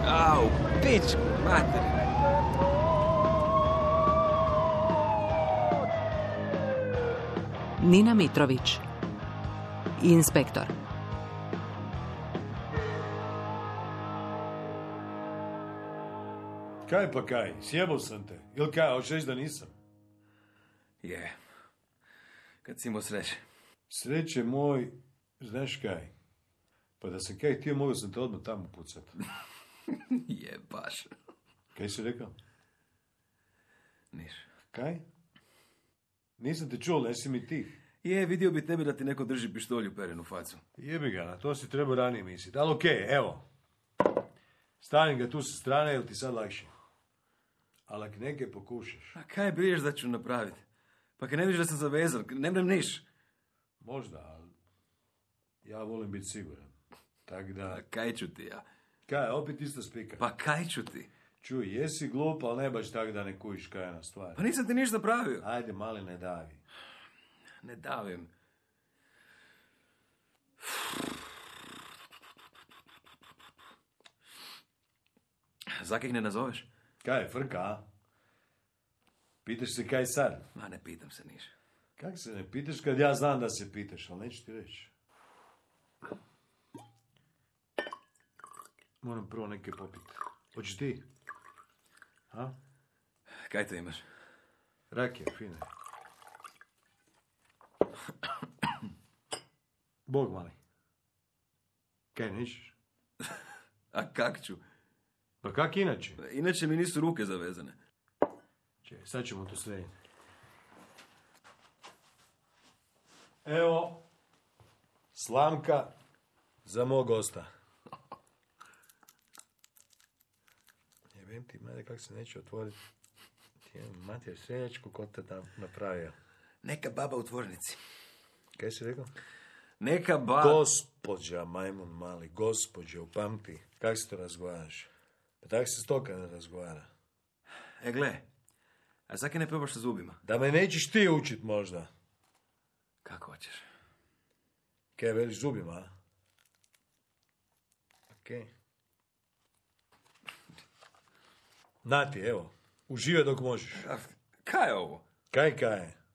Au, pič, mater. Nina Mitrović, inspektor. Kaj pa kaj, sjebao sam te. Ili kaj, hoćeš reći da nisam? Je. Kad si imao sreće. Sreće moj, znaš kaj? Pa da sam kaj htio, mogao sam te odmah tamo pucat. Je, baš. Kaj si rekao? Niš. Kaj? Nisam te čuo, nesi mi ti. Je, vidio bi tebe da ti neko drži pištolju peren u facu. Jebi ga, na to si trebao ranije misliti. Ali okej, evo. Stavim ga tu sa strane, jel ti sad lakše? Ali ako neke pokušaš. A kaj briješ da ću napraviti? Pa kad ne vidiš da sam zavezan, ne mrem niš. Možda, ali ja volim biti siguran. Tak da... A kaj ću ti ja? Kaj, opet isto spika. Pa kaj ću ti? Čuj, jesi glup, ali ne baš tak da ne kujiš kaj je na stvar. Pa nisam ti ništa napravio. Ajde, mali, ne davi. Ne davim. Zakih ne nazoveš? Kaj, frka, a? Pitaš se kaj sad? Ma ne pitam se niš. Kak se ne pitaš kad ja znam da se pitaš, ali neću ti reći. Moram prvo neke popiti. Hoćeš ti? A? Kaj te imaš? Rakija, fine. Bog mali. Kaj, nećeš? A kak ću? Pa kak inače? Inače mi nisu ruke zavezane. Čekaj, sad ćemo to srediti. Evo, slamka za mog gosta. Jebem ti, mada kak se neće otvoriti. Ti je mater seljačku ko te tam napravio. Neka baba u tvornici. Kaj si rekao? Neka baba... Gospođa, majmun mali, gospođa, upamti. Kak se to razgovaraš? Pa tak se stoka ne razgovara. E, gle, a zaki ne probaš sa zubima? Da me nećeš ti učit možda. Kako hoćeš? Kaj veliš zubima, a? Okej. Nati, evo, uživaj dok možeš. A, kaj je ovo? Kaj?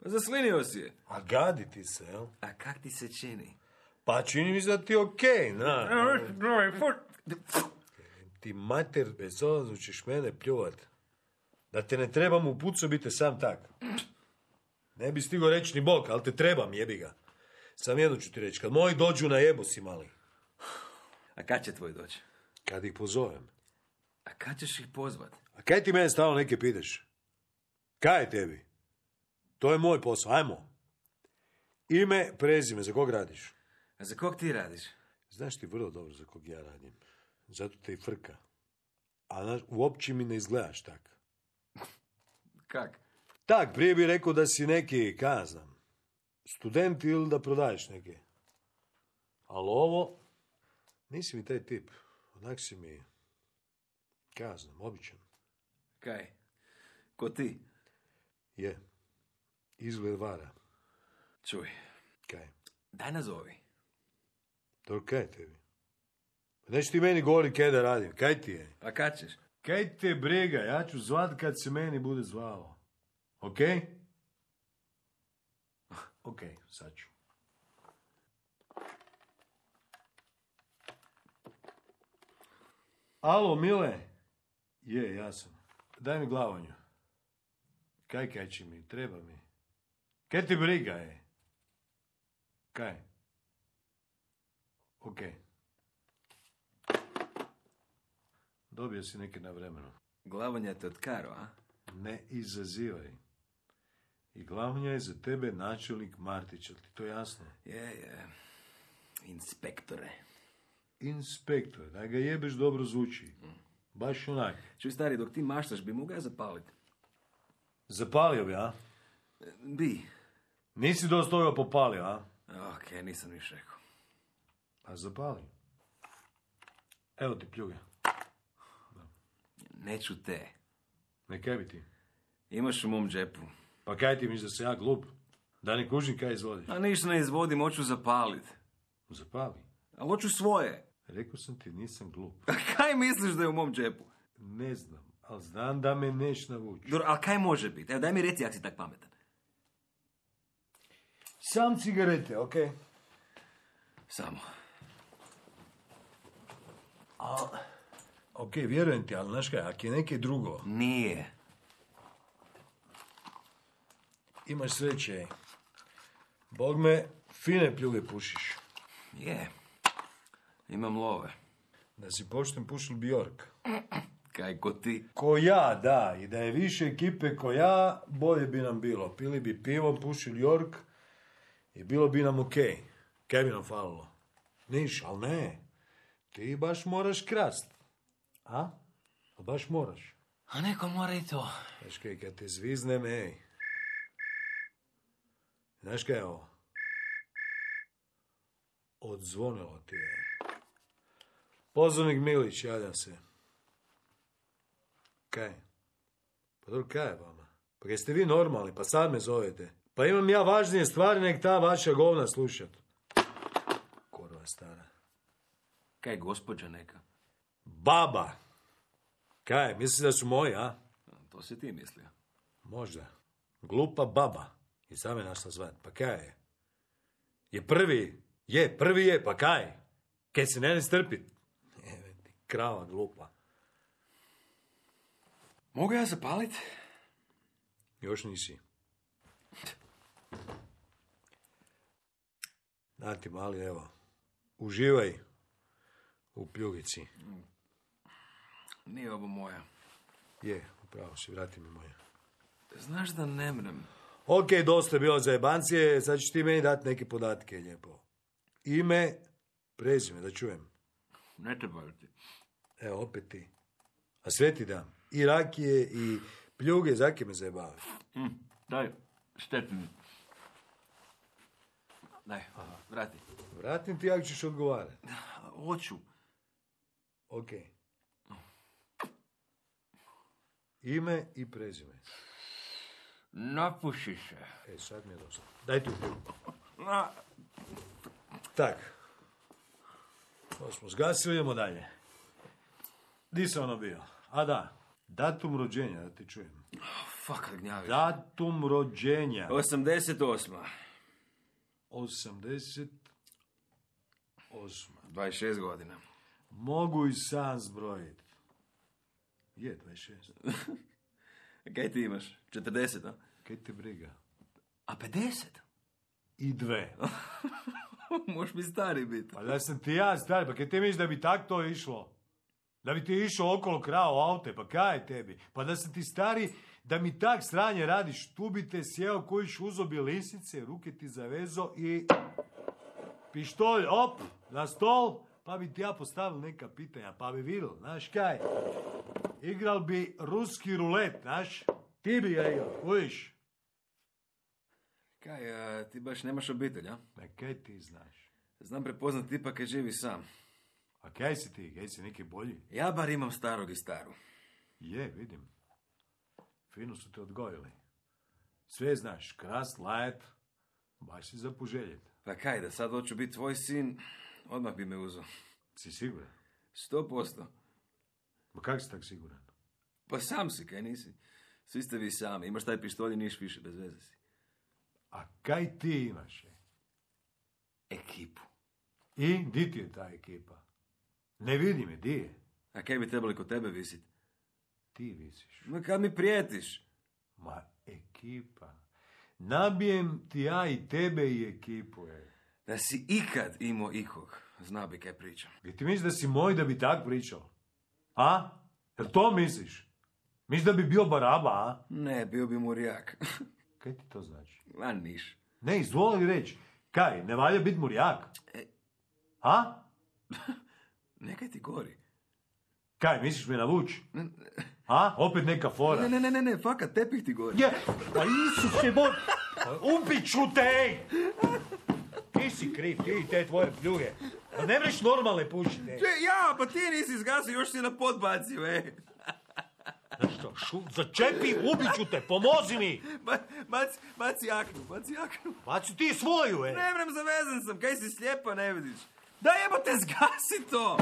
Pa zaslinio si je. A gadi ti se, jel? A kak ti se čini? Pa čini mi se da ti je okej, na. Ti mater, bez ozlazno ćeš mene pljuvat. Da te ne trebam u pucu, biti sam tak. Ne bi stigo reći ni Bog, ali te trebam, jebi ga. Sam jedno ću ti reći, kad moji dođu na jebu si mali. A kad će tvoj doći? Kad ih pozovem. A kad ćeš ih pozvat? A kaj ti mene stalno neke pitaš? Kaj je tebi? To je moj posao, ajmo. Ime, prezime, za kog radiš? A za kog ti radiš? Znaš ti vrlo dobro za kog ja radim. Zato te i frka. A uopće mi ne izgledaš tak. Kak? Tak, prije bi rekao da si neki, kaj ja znam, student ili da prodaješ neke. Ali ovo, nisi mi taj tip. Onak si mi, kaj ja znam, običan. Kaj? Ko ti? Je. Izgled vara. Čuj, Kaj? daj nazovi. Dobro, kaj je tebi? Pa neću ti meni govori kaj da radim. Kaj ti je? Pa kad ćeš? Kaj te briga? Ja ću zvat kad se meni bude zvao. Ok? Ok, sad ću. Alo, Mile? Je, ja sam. Daj mi glavonju. Kaj će mi? Treba mi. Kaj ti briga je? Kaj? Ok. Dobio si neke na vremenu. Glavonja te od Karo, a? Ne izazivaj. I glavnja je za tebe načelnik Martić, ali ti to jasno? Je. Inspektore. Inspektor, da ga jebeš dobro zvuči. Baš onak. Čuj, stari, dok ti maštaš, bi mogao ja zapaliti. Zapalio bi, a? Bi. Nisi dosta toga popalio, a? Ok, nisam niš rekao. A zapali. Evo ti pljuge. Neću te. Ne kaj bi ti? Imaš u mom džepu. Pa kaj ti misliš da sam ja glup? Da ne kužim kaj izvodiš. A ništa ne izvodim, hoću zapalit. Zapali. Ali hoću svoje. Rekao sam ti, nisam glup. A kaj misliš da je u mom džepu? Ne znam, ali znam da me neš navući. Dobro, a kaj može biti? Evo, daj mi reci, jak si tak pametan. Sam cigarete, okej? Samo. Okej, vjerujem ti, ali znaš kaj, ako je neke drugo, Nije. imaš sreće. Bog me, fine pljuge pušiš. Je. Imam love. Da si pošten pušil Bjork. Kaj ko ti? Ko ja, da, i da je više ekipe ko ja, bolje bi nam bilo. Pili bi pivo, pušili York i bilo bi nam okej. Kaj bi nam falilo? Niš, ali ne. Ti baš moraš krast. A? Baš moraš. A neko mora i to. Znaš kaj, kad te zviznem, ej. Znaš kaj je ovo? Odzvonilo ti je. Pozornik Milić, javljam se. Kaj? Pa dobro, kaj je vama? Pa jeste vi normalni, pa sad me zovete. Pa imam ja važnije stvari nek ta vaša govna slušat. Korva stara. Kaj, gospođa neka? Baba! Kaj, misliš da su moji, a? To si ti mislio. Možda. Glupa baba. I sam je našla zvat. Pa kaj je? Je prvi? Je, prvi je, pa kaj? Kaj se ne strpit? Evo ti, krava glupa. Mogu ja zapalit? Još nisi. Da ti mali, evo. Uživaj u pljugici. Nije ovo moja. Je, upravo si, vrati mi moje. Znaš da ne mrem. Ok, dosta je bilo za jebancije, sad ćeš ti meni dati neke podatke, lijepo. Ime, prezime, da čujem. Ne trebaju ti. Evo, opet ti. A sve ti dam. I rakije, i pljuge, zake me zajebavaš. Daj, štetni. Daj, vrati. Vratim ti, ako ćeš odgovarati. Hoću. Ok. Ime i prezime. Napuši se. Sad mi je dosta. Daj tu pljugu. Tak. To smo zgasili, idemo dalje. Di se ono bio? A da, datum rođenja, da ti čujem. Fuck, gnjaviš. Datum rođenja. 88. 88. 26 godina. Mogu i sam zbrojiti. Je, 26. Kaj ti imaš? 40, a? Kaj te briga? A 50? I 2. Možeš mi stari biti. Pa da sam ti ja stari, pa kaj ti misliš da bi tak to išlo? Da bi ti išao okolo krao aute, pa kaj je tebi? Pa da sam ti stari, da mi tak sranje radiš, tu bi te sjeo kojiš uzobje lisice, ruke ti zavezo i pištolj, op, na stol, pa bi ti ja postavil neka pitanja, pa bi vidjel, znaš kaj? Igral bi ruski rulet, znaš? Ti bi ga igral, kojiš? Kaj, ti baš nemaš obitelj, a? Ma kaj ti znaš? Znam prepoznat tipa kaj živi sam. A kaj si ti? Kaj si neki bolji? Ja bar imam starog i staru. Je, vidim. Fino su te odgojili. Sve znaš, krast, lajet, baš si za poželjet. Pa kaj, da sad hoću biti tvoj sin, odmah bi me uzeo. Si siguran? 100%. Ma kak si tak siguran? Pa sam si, kaj nisi? Svi ste vi sami, imaš taj pištolj i niš više, bez veze si. A kaj ti imaš? Ekipu. I di ti je ta ekipa? Ne vidi me, di je? A kaj bi trebali kod tebe visit? Ti visiš. Ma kad mi prijetiš? Ma ekipa. Nabijem ti ja i tebe i ekipu, Da si ikad imao ikog, zna bi kaj pričam. Gdje ti misliš da si moj da bi tak pričao? A? Jel to misliš? Misliš da bi bio baraba, a? Ne, bio bi murijak. Kaj ti to znači? A niš. Ne, izvoli reći. Kaj, ne valja biti murijak? A? Nekaj ti gori. Kaj, misliš me navući? A? Opet neka fora. Ne, fakat, tepih ti gori. Je, pa Isuse, ubit ću te, ej! Ti si kriv, ti i te tvoje pljuge. Pa ne mreš normalne pušiti, ej. Ja, pa ti nisi zgasio, još si na pod bacio, Znaš što, Začepi, ubit ću te, pomozi mi! Baci jaknu. Baci ti svoju, Ne mrem, zavezan sam, kaj si slijepa, ne vidiš? Daj jebote, zgasi to!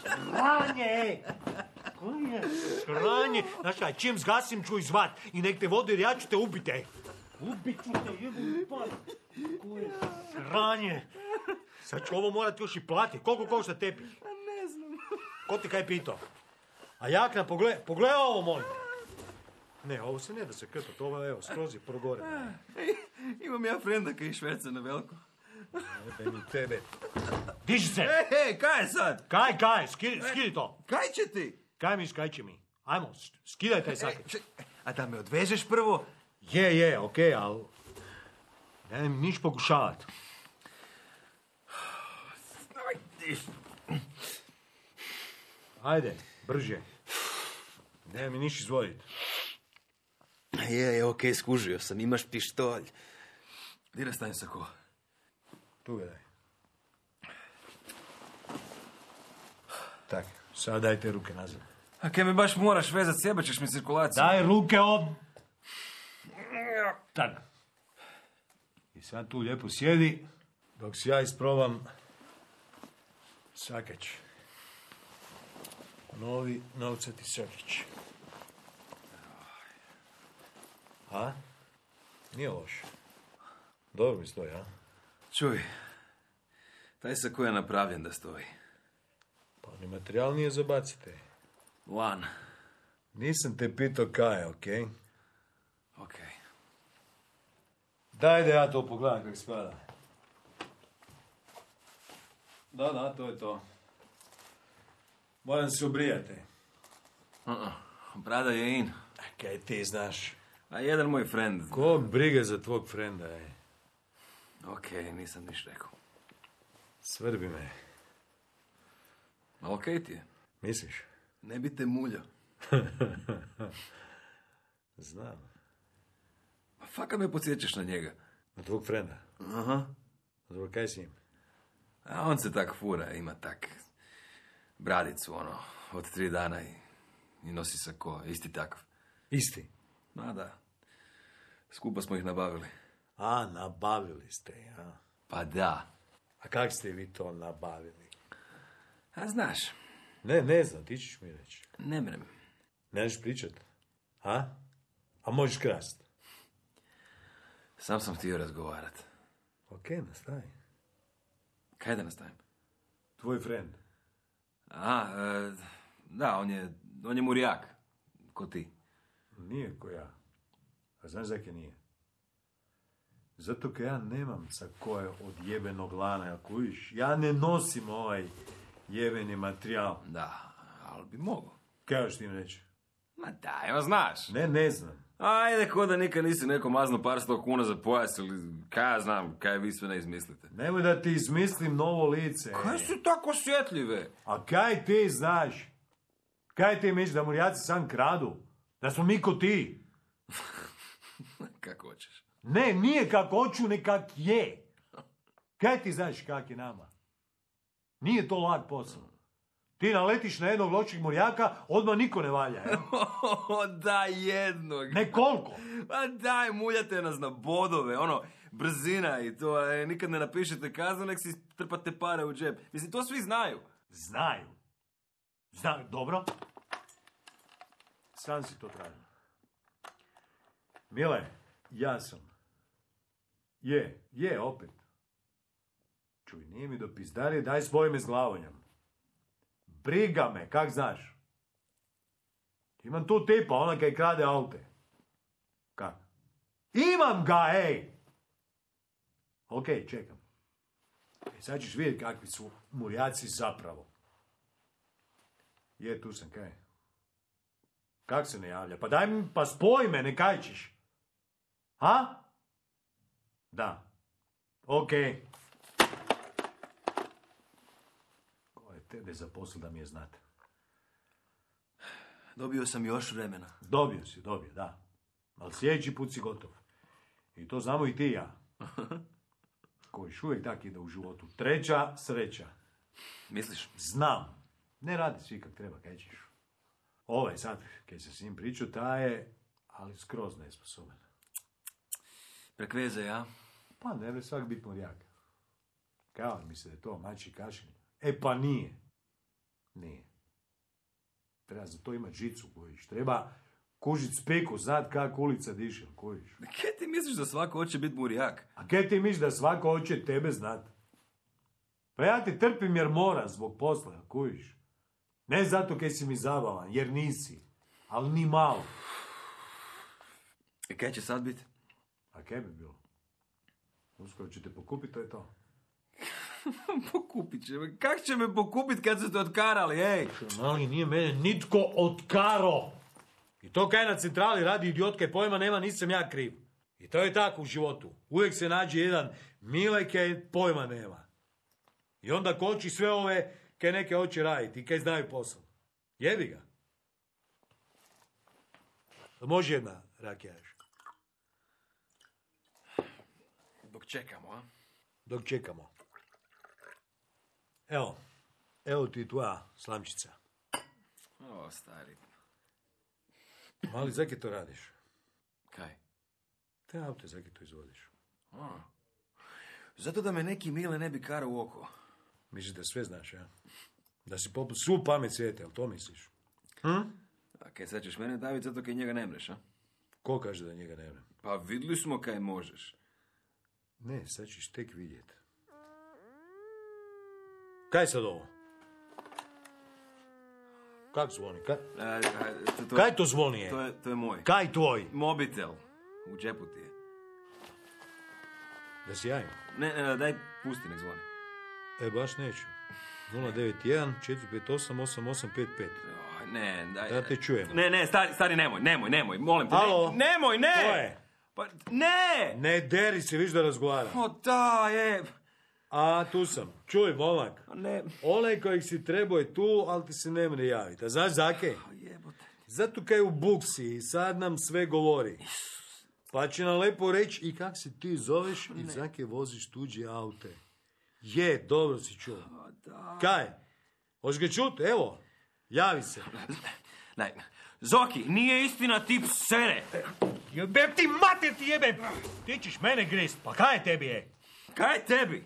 Sranje! Sranje! Znaš kaj, čim zgasim ću izvat i nek te vode jer ja ću te ubiti. Ubit ću te, jebom pad. Sranje! Sad ću ovo morat još i platiti. Koliko košta tepih? Ne znam. Ko ti kaj pitao? A jakna, pogledaj ovo, molim. Ne, ovo se ne da se krpat, ovo evo, skroz je progore. Imam ja frenda kaj šverca na veliko. Jebe mi tebe. Diži se! Hej, kaj je sad? Kaj, skidi to. Kaj će ti? Kaj će mi? Ajmo, skidaj taj sakić. A da me odvežeš prvo? Je, okej, ali... Ne mi niš pokušavat. Ajde, brže. Ne mi niš izvodit. Okej, skužio sam, imaš pištolj. Gdje stajem sa ko? Tu gledaj. Tak, sad daj te ruke nazad. A kaj me baš moraš vezat, sjebaćeš mi cirkulaciju. Daj ruke Tak. I sad tu lijepo sjedi, dok si ja isprobam sakač. Novi novcati sakač. A? Nije loš. Dobro mi stoji, a? Čuj, taj sako je napravljen da stoji. Pa ni materijal nije za bacite. Lan. Nisam te pitao kaj, okej? Okej. Daj da ja to pogledam kako spada. Da, to je to. Moram se obrijati. Brada je in. Kaj ti znaš? A jedan moj friend. Kog brige za tvog frenda, Okej, nisam niš rekao. Svrbi me. A okej ti je. Misliš? Ne bi te mulja. Znam. Pa faka me podsjećaš na njega. Na tvog frenda? Aha. Dobro, kaj si im? A on se tak fura, ima tak bradicu, od 3 dana i nosi sako, isti takav. Isti? Ma da. Skupa smo ih nabavili. A, nabavili ste, ja. Pa da. A kak ste vi to nabavili? A znaš. Ne znam, ti ćeš mi reći. Ne mrem. Ne možeš pričat? A? A možeš krast? Sam sam htio razgovarat. Okej, nastavi. Kaj da nastavim? Tvoj frend. Da, on je murijak. Ko ti. Nije ko ja. A znaš zakaj nije? Zato kaj ja nemam sa koje od jebenog lana, ja kužiš. Ja ne nosim ovaj jebeni materijal. Da, ali bi mogo. Kaj još ti im reći? Ma da, evo znaš. Ne znam. Ajde, ko da nikad nisi neko mazno par 100 kuna za pojas ili kaj ja znam, kaj vi sve ne izmislite. Nemoj da ti izmislim novo lice. Kaj su tako osjetljive? A kaj ti znaš? Kaj ti misliš da murijaci sam kradu? Da smo mi ko ti? Kako hoćeš. Ne, nije kako hoću, ne kak je. Kaj ti znaš kak je nama? Nije to lak posao. Ti naletiš na jednog lošeg murijaka, odmah niko ne valja. Daj jednog. Ne koliko? Pa daj, muljate nas na bodove, brzina i to, nikad ne napišete kaznu, nek si trpate pare u džep. Mislim, to svi znaju. Znaju, dobro. Sam si to tražio. Mile, ja sam. Je, opet. Čuj, nije mi do pizdarije, daj spoj me s glavonjom. Briga me, kak znaš? Imam tu tipa, ona kaj krade aute. Kak? Imam ga, ej! Okej, čekam. Sad ćeš vidjeti kakvi su murijaci zapravo. Tu sam, kaj? Kak se ne javlja? Pa daj mi, pa spoj me, ne kaj ćeš? Ha? Da. Okej. Ko je tebe zaposlil da mi je znate? Dobio sam još vremena. Dobio si, da. Ali sljedeći put si gotov. I to znamo i ti i ja. Koji uvijek tak ide u životu. Treća sreća. Misliš? Znam. Ne radi svi kak treba, kaj ćeš. Ovaj sad, kad se s njim pričao, ta je, ali skroz nesposoban. Prek veze, ja? Pa ne bi svak biti morjak. Kao misle da je to mači kašelj? E pa nije. Nije. Treba za to imati žicu, kojiš. Treba kužit speku, znat kak ulica diše, kojiš. Kaj ti misliš da svako hoće biti murijak? A kaj ti misliš da svako hoće tebe znat? Pa ja ti trpim jer moram zbog posla, kojiš. Ne zato kaj si mi zabavan, jer nisi. Ali ni malo. I kaj će sad biti? A kaj bi bilo? Uskoro će te pokupiti, to je to. Pokupit će me. Kak će me pokupit kad su te otkarali, ej? Mali, nije mene nitko otkaro. I to kaj na centrali radi idiotka i pojma nema, nisam ja kriv. I to je tako u životu. Uvijek se nađe jedan Mile kaj pojma nema. I onda koči sve ove kaj neke hoće raditi i kaj znaju posao. Jebi ga. Može jedna rakijaš. Dok čekamo, a? Dok čekamo. Evo ti tvoja slamčica. O, stari. Mali, zakaj to radiš? Kaj? Te auto, zakaj to izvodiš? A. Zato da me neki Mile ne bi karao u oko. Misliš da sve znaš, ja? Da si poput svu pamet svijete, jel to misliš? A kaj sad ćeš mene daviti zato kaj njega ne mreš, a? Ko kaže da njega ne vrem? Pa vidjeli smo kaj možeš. Ne, sad ćeš tek vidjet. Kaj sad ovo? Kak zvoni? Kaj to zvoni je? To je moj. Kaj tvoj? Mobitel. U džepu ti je. Da si javim? Ne, daj, pusti, nek zvoni. Baš neću. 091 458 8855. Ne, daj. Da te čujem. Ne, stari, nemoj, molim te. Alo? Nemoj, ne! Ko je? Pa, ne! Ne deri se, viš da razgovara. O, da, je. A, tu sam. Čuj, momak. Ne. Onaj kojeg si trebao je tu, ali ti se ne mre javiti. A znaš zake? Jebote. Zato kaj u buksi i sad nam sve govori. Pa će nam lepo reći i kak se ti zoveš i zake voziš tuđe aute. Je, dobro si čuo. Da. Kaj? Hoćeš ga čut? Evo, javi se. Daj, Zoki, nije istina tip sere. Jebem ti mater ti jebem! Ti ćeš mene grist, pa kaj tebi je? Kaj je tebi?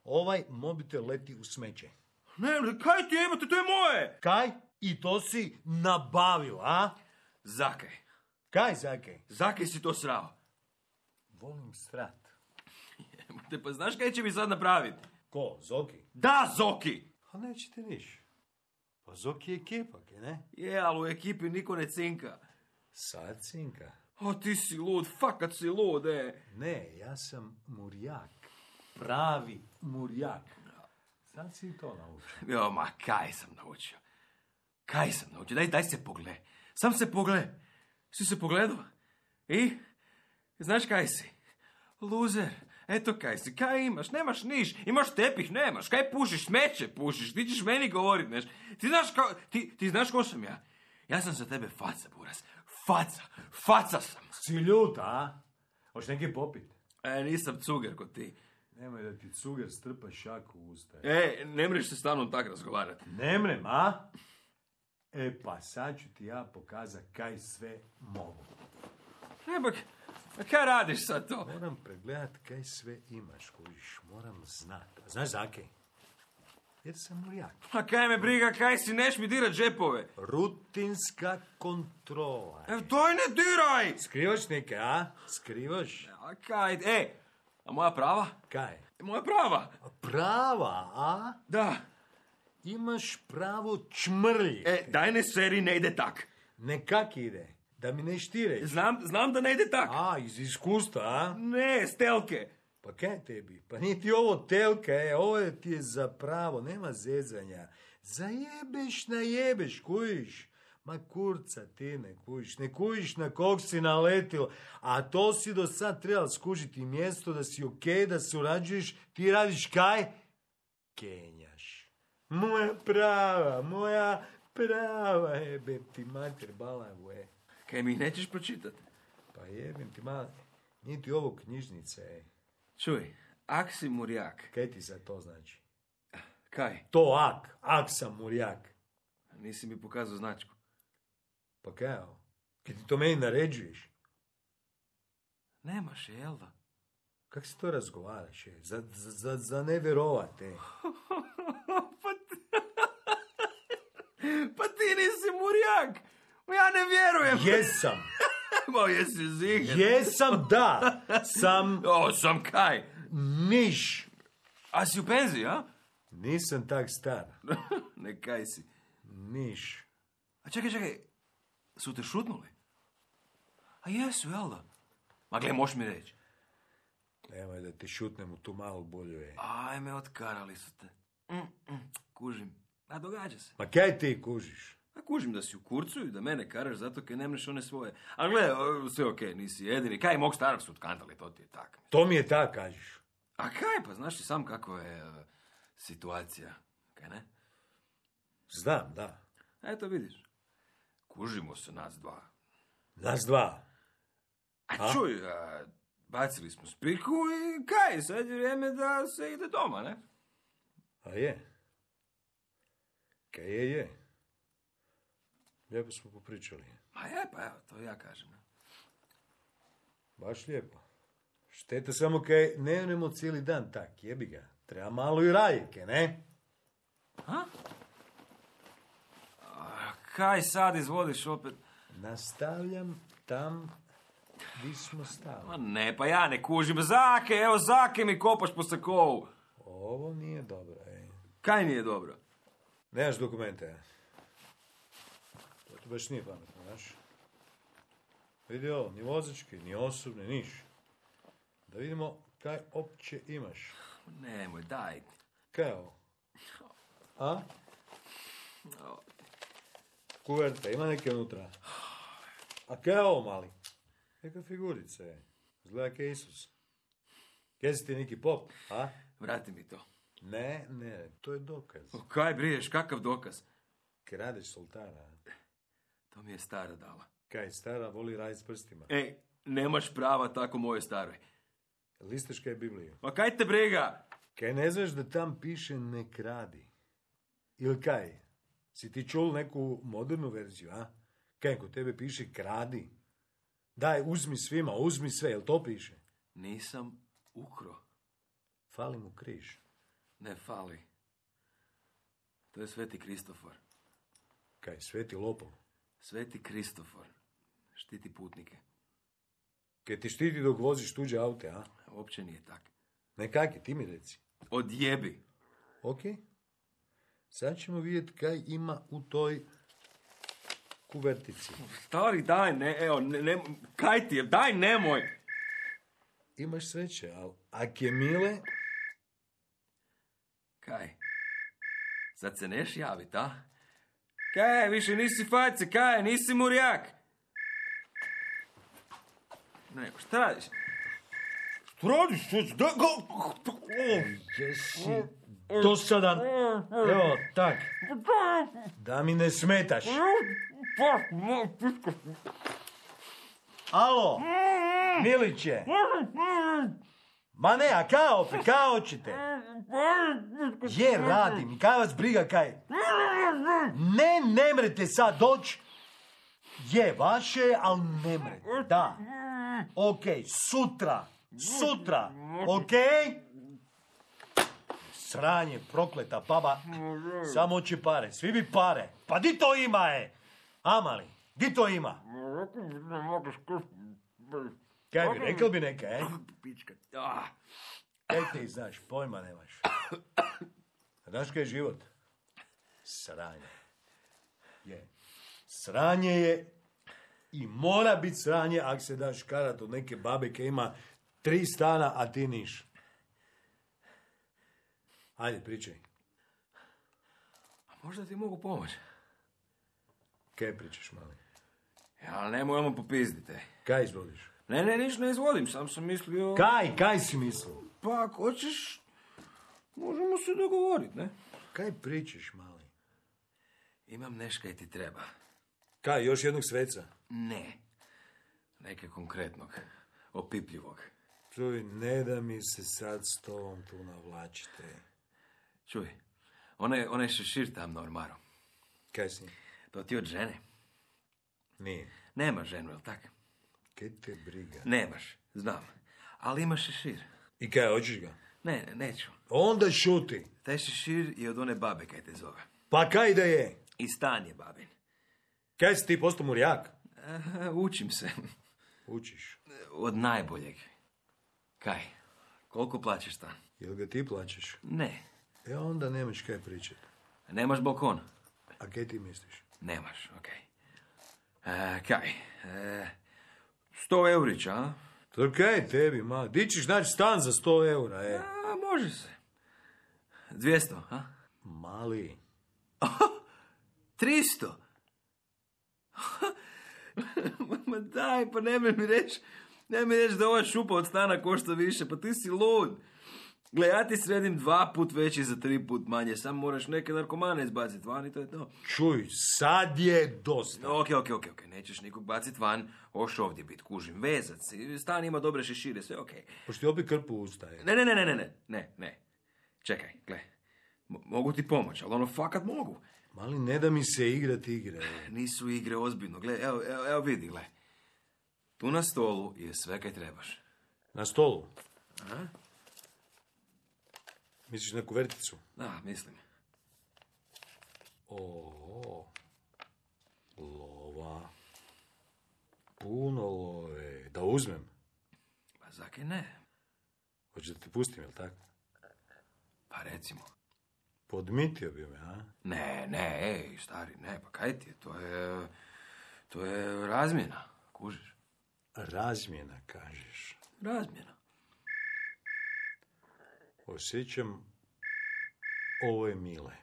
Ovaj mobitel leti u smeće. Ne, kaj ti jebote, to je moje! Kaj? I to si nabavio, a? Zakaj? Kaj, zakaj? Zakaj si to srao? Volim srat. Jebote, pa znaš kaj će mi sad napraviti? Ko, Zoki? Da, Zoki! A neće ti niš. Pa Zoki je ekipak, ne? Je, ali u ekipi niko ne cinka. Sad cinka. O, ti si lud, fakat si lud, Ne, ja sam murjak. Pravi murjak. Sad si to naučio. Jo, ma, kaj sam naučio? Daj se pogle. Sam se pogle. Si se pogledao? I? Znaš kaj si? Luzer. Eto kaj si. Kaj imaš? Nemaš niš. Imaš tepih, nemaš. Kaj pušiš? Smeće pušiš. Ti ćeš meni govorit, neš. Ti znaš ko sam ja? Ja sam za tebe faca, buras. Faca sam. Si ljuta, a? Hoš neki popit? Nisam cuger kod ti. Nemoj da ti cuger strpa šaku u usta. Ne mreš se stalno tak razgovarati. Ne mrem, a? Pa sad ću ti ja pokazat kaj sve mogu. Kaj radiš sad to? Moram pregledat kaj sve imaš, kojiš. Moram znat. A znaš zakaj? Jer sam murjak. A kaj me briga, kaj si, neš mi dirat džepove. Rutinska kontrola. Doj ne diraj! Skrivaš neke, a? Skrivaš? A kaj, a moja prava? Kaj? Moja prava? Prava, a? Da. Imaš pravo čmrlji. Daj ne seri, ne ide tak. Nekak ide. Da mi ne štireš. Znam da ne ide tak. A, iz iskustva, a? Ne, stelke. Pa kaj tebi? Pa nije ti ovo telka, ovo ti je za pravo, nema zezanja. Zajebeš, najebeš, kujiš. Ma kurca ti ne kujiš na kog si naletil. A to si do sad trebal skužiti mjesto da si okej, da surađuješ. Ti radiš kaj? Kenjaš. Moja prava, jebem ti mater balavu, Kaj mi nećeš pročitat? Pa jebem ti malo, nije ti ovo knjižnica, Čuj, ak si murjak. Kaj ti sad to znači? Kaj? To ak sam murjak. Nisi mi pokazao značku. Pa kao? Kad ti to meni naređuješ? Nemaš je, jel da? Kak se to razgovaraš? Za ne vjerovate. Pa ti nisi Murjak! Ja ne vjerujem! Jesam! Bo jesi ziger? Jesam, da! Sam Sam kaj? miš. A si u penziji, a? Nisam tak star. Ne kaj si. Miš. A čekaj, su te šutnuli? A jesu, jel da? Ma gle, moš mi reći. Nemoj da ti šutnem u tu malu bolju, ej. Ajme, otkarali su te. Kužim. A događa se. Ma kaj ti kužiš? A kužim da si u kurcu i da mene karaš zato kaj nemreš one svoje. A gle, sve okej, nisi jedini. Kaj mog starog su otkantali, to ti je tak. To mi je tak, kažeš. A kaj, pa znaš ti sam kako je situacija, kaj ne? Znam, da. Eto vidiš. Kužimo se nas dva. Nas dva. A čuj, bacili smo spiku i kaj, sad je vrijeme da se ide doma, ne? A je. Kaj je. Lijepo smo popričali. Ma je, pa evo, to ja kažem. Ne? Baš lijepo. Šteta samo kaj ne onemo cijeli dan tak, jebi ga. Treba malo i rajike, ne? A kaj sad izvodiš opet? Nastavljam tam gdje smo stali. Ma ne, pa ja ne kužim. Zake mi kopaš po sakovu. Ovo nije dobro, ej. Kaj nije dobro? Nemaš dokumente. To baš nije pametno, znaš. Vidi ovo, ni vozački, ni osobni, niš. Da vidimo kaj opće imaš. Nemoj, daj. Kaj je ovo? A? Kuverta, ima neke unutra. A kaj je ovo, mali? Neka figurica je. Izgleda kaj Isus. Kaj si ti neki pop, a? Vrati mi to. Ne, to je dokaz. Kaj briješ, kakav dokaz? Kradeš sultana. To mi je stara dala. Kaj, stara voli raditi s prstima. Ej, nemaš prava tako moje staroj. Listaš kaj Bibliju. Pa kaj te briga? Kaj ne znaš da tam piše ne kradi? Ili kaj? Si ti čul neku modernu verziju, a? Kaj, kod tebe piše kradi? Daj, uzmi svima, uzmi sve, jel to piše? Nisam ukro. Fali mu križ. Ne fali. To je Sveti Kristofor. Kaj, sveti lopov? Sveti Kristofor. Štiti putnike. Kaj ti štiti dok voziš tuđe aute, a? Uopće nije tak. Ne kaki, ti mi reci. Odjebi. Ok. Sad ćemo vidjeti kaj ima u toj kuvertici. Stari, daj, ne, kaj ti je, daj, nemoj. Imaš sreće, ali ak je mile... Kaj? Sad se neš javit, a? Kaj, više nisi face, kaj, nisi Murjak. Ne, šta radiš? Šta radiš? Jesi dosadan. Evo, tak. Da mi ne smetaš. Alo, Miliće. Ma ne, a kao hoćete? Je, radim, kaj vas briga, kaj? Ne mrete sad doći. Je, vaše, ali ne mrete, da. Ok, sutra, ok? Sranje, prokleta baba, samo hoće pare, svi bi pare. Pa di to ima, Amali, di to ima? Kaj bi, rekao bi neka, Pička. Kaj ti znaš, pojma nemaš. Znaš kaj je život? Sranje. Je. Sranje je i mora biti sranje ako se daš karat od neke babe koja ima 3 stana, a ti niš. Ajde, pričaj. A možda ti mogu pomoći? Kaj pričaš, mali? Ja, nemoj ono popizdite. Kaj izvodiš? Ne, niš ne izvodim, sam mislio... Kaj si mislio? Pa ako hoćeš, možemo se dogovoriti, ne? Kaj pričaš, mali? Imam neškaj ti treba. Kaj, još jednog sveca? Ne. Neke konkretnog. Opipljivog. Čuj, ne da mi se sad s tobom tu navlačite. Čuj, onaj šešir tam na ormaru. Kaj si? To ti od žene. Nije. Nemaš ženu, jel tak? Kaj te briga? Nemaš, znam. Ali imaš šešir. I kaj, hoćeš ga? Ne, neću. Onda šuti. Taj šešir je od one babe kaj te zove. Pa kaj da je? I stan je babin. Kaj si ti postao murjak? Učim se. Učiš. Od najboljeg. Kaj? Koliko plaćaš stan? Jel ga ti plaćaš? Ne. Onda nemaš kaj pričati. Nemaš balkon? A kaj ti misliš? Nemaš, okej. Kaj? 100 eurića, a? To kaj tebi, ma? Di ćeš naći stan za 100 eura, Može se. 200, a? Mali. 300? Ma daj, pa nemoj mi reći da ova šupa od stana košta više, pa ti si lud. Gle, ja ti sredim 2 put veći za 3 put manje, samo moraš neke narkomane izbaciti van i to je to. Čuj, sad je dosta. Ok, nećeš nikog bacit van, hoš ovdje bit, kužim, vezac, stan ima dobre šešire, sve ok. Pošto ti opet krpu ustaje. Ne. Čekaj, gle, mogu ti pomoći, ali ono fakat mogu. Mali, ne da mi se igrati igre. Nisu igre ozbiljno, gle, evo vidi, gle. Tu na stolu je sve kaj trebaš. Na stolu? Aha. Misliš neku verticu? Da, mislim. Lova. Puno love. Da uzmem? Pa zakaj ne? Hoćeš da ti pustim, jel tako? Pa recimo. Podmitio bi me, a? Ne, stari, ne, pa kaj ti je, to je razmjena, kužiš. Razmjena, kažeš. Razmjena. Osjećam, ovo je Mile.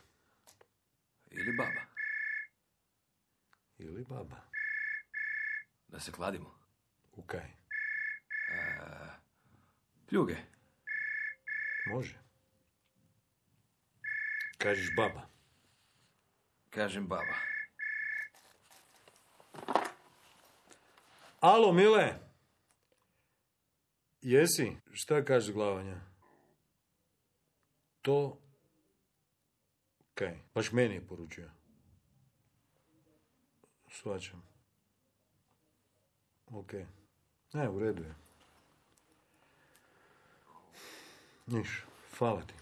Ili baba. Da se kladimo. U kaj? Pljuge. Može. Kažeš baba. Kažem baba. Alo, Mile. Jesi? Šta kaže glavanja? To... Kaj? Baš meni je poručio. Shvaćam. Ok. Ne, u redu je. Niš, hvala ti.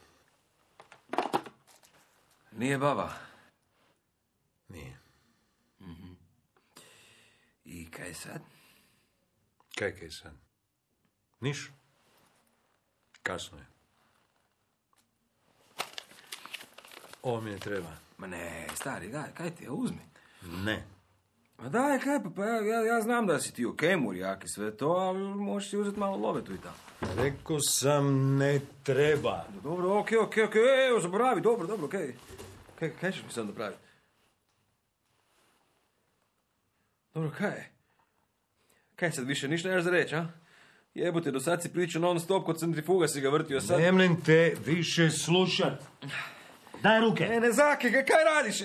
Nije baba. Nije. Mm-hmm. I kaj sad? Kaj sad? Niš. Kasno je. Ovo mi ne treba. Ma ne, stari, daj, kaj ti je, uzmi. Ne. Ma daj, kaj, pa ja znam da si ti okej, murjak i sve to, ali možeš si uzeti malo love tu i tamo. Rekao sam ne treba. Dobro, okej, evo, zaboravi, dobro, okej. Kaj ćeš mi sad napraviti? Dobro, kaj? Kaj sad više, ništa nemaš za reći, a? Jebote, do sad si pričao non stop, kod centrifuga si ga vrtio, sad... Nemlem te više slušat. Daj ruke. Ne, Zaki, kaj radiš?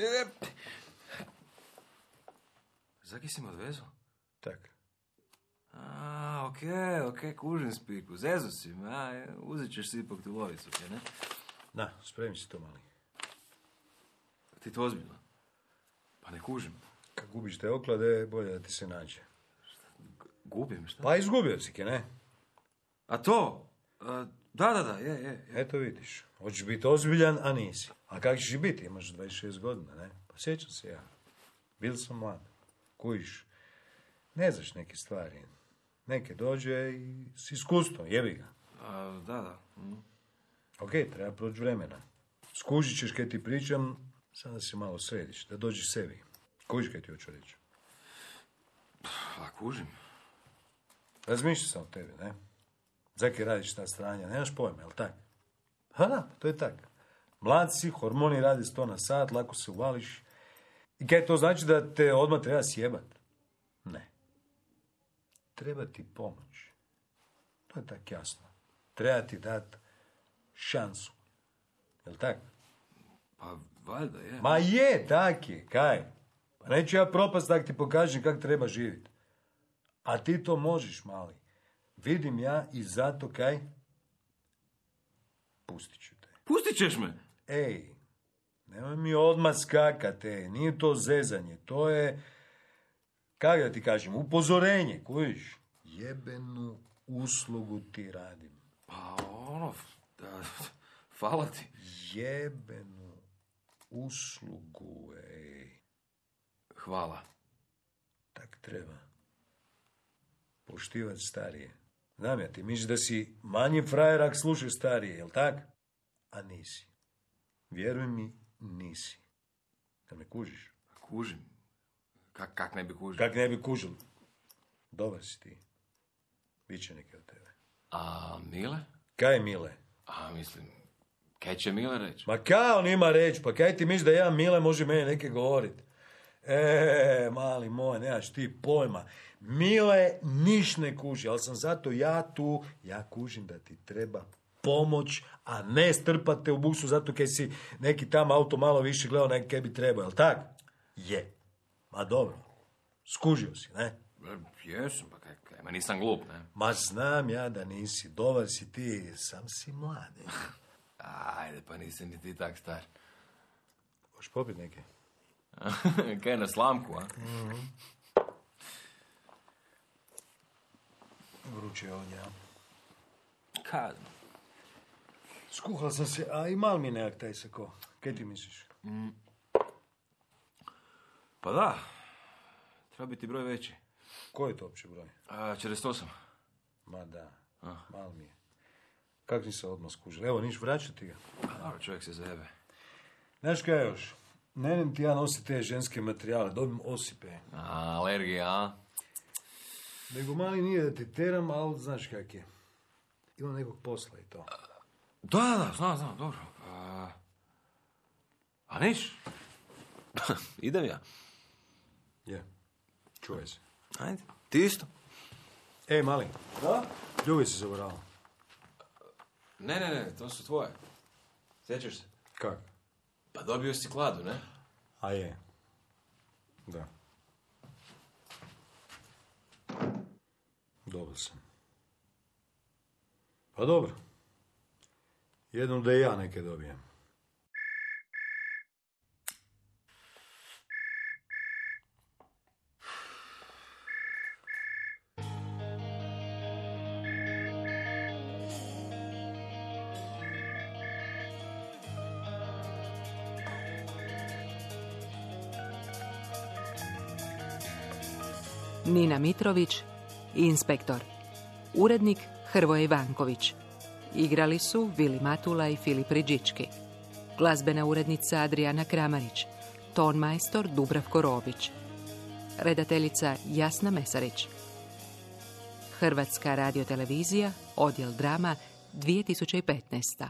Zaki si me odvezao? Tak. Okej, kužim spiku. Zezo si me, uzet ćeš si ipak tu lovicu, kaj ne? Na, spremi si to, mali. Ti to ozbiljno? Pa ne kužim. Kad gubiš te oklade, bolje da ti se nađe. Gubim, šta? Pa izgubio si, kaj ne? A to? Da, je. Eto vidiš, hoćeš biti ozbiljan, a nisi. A kak ćeš biti, imaš 26 godina, ne? Pa sjećam se ja. Bil sam mlad. Kujiš, ne znaš neke stvari. Neke dođe i s iskustvom, jebi ga. Da. Ok, treba proći vremena. Skužit ćeš kaj ti pričam, sad da se malo središ, da dođeš sebi. Kužiš kaj ti hoću reći. Pa kužim. Razmišljam sam o tebi, ne? Zaki radiš ta stranja, nemaš pojma, jel tak? Da, to je tak. Mlad si, hormoni radi 100 na sat, lako se uvališ. I kaj to znači da te odmah treba sjebat? Ne. Treba ti pomoć. To je tak jasno. Treba ti dat šansu. Jel tak? Pa valjda je. Ma je, tak je, kaj? Pa neću ja propast tak ti pokažem kak treba živjeti. A ti to možeš, mali. Vidim ja i zato kaj? Pustit ću te. Pustit ćeš me? Ej, Nemoj mi odmah skakate, nije to zezanje, to je, kako da ti kažem, upozorenje, kužiš? Jebenu uslugu ti radim. Pa ono, hvala ti. Jebenu uslugu, ej. Hvala. Tak treba. Poštivat starije. Znam ja, ti misliš da si manji frajer ak slušaš starije, jel tak? A nisi. Vjeruj mi, nisi. Da me kužiš? Kužim. Kak ne bi kužio? Kak ne bi kužil? Dobar si ti. Biće neke od tebe. A Mile? Kaj Mile? A mislim, kaj će Mile reći? Ma kao on ima reći, pa kaj ti misliš da ja Mile može meni neke govorit? Mali moj, nemaš ti pojma. Mile niš ne kuži, ali sam zato ja tu, ja kužim da ti treba pomoć, a ne strpate u buksu zato kaj si neki tam auto malo više gledao nek kaj bi trebao, jel tak? Je. Ma dobro, skužio si, ne? Jesam, pa kaj, ma nisam glup, ne? Ma znam ja da nisi, dobar si ti, sam si mlad. Ajde, pa nisi ni ti tak star. Hoš popit neke? Kaj na slamku, a? Vruće je ovdje, a? Kad? Skuhal sam se, a i mal mi nekak taj sako. Kaj ti misliš? Pa da, treba biti broj veći. Koji je to uopće broj? 48. Ma da, mal mi je. Kak si se odmah skužil? Evo, niš vraćati ga. Pa dobro, čovjek se zajebe. Znaš kaj još? Ne ti ja nosi te ženske materijale, dobim osipe. Alergija, a? Nego mali nije da te teram, ali znaš kak je. Ima nekog posla i to. Da, znam, dobro. A niš? Idem ja. Je, čuvaj se. Ajde, ti isto. Ej, mali. Da? Ljubi se zaboravio. Ne, to su tvoje. Sjećaš se? Kak? Pa dobio si kladu, ne? A je. Da. Dobro sam. Pa dobro. Jednom da i ja neke dobijem. Nina Mitrović, inspektor. Urednik Hrvoje Ivanković. Igrali su Vili Matula i Filip Ridžički. Glazbena urednica Adriana Kramarić. Ton majstor Dubravko Robić. Redateljica Jasna Mesarić. Hrvatska radiotelevizija, odjel drama, 2015.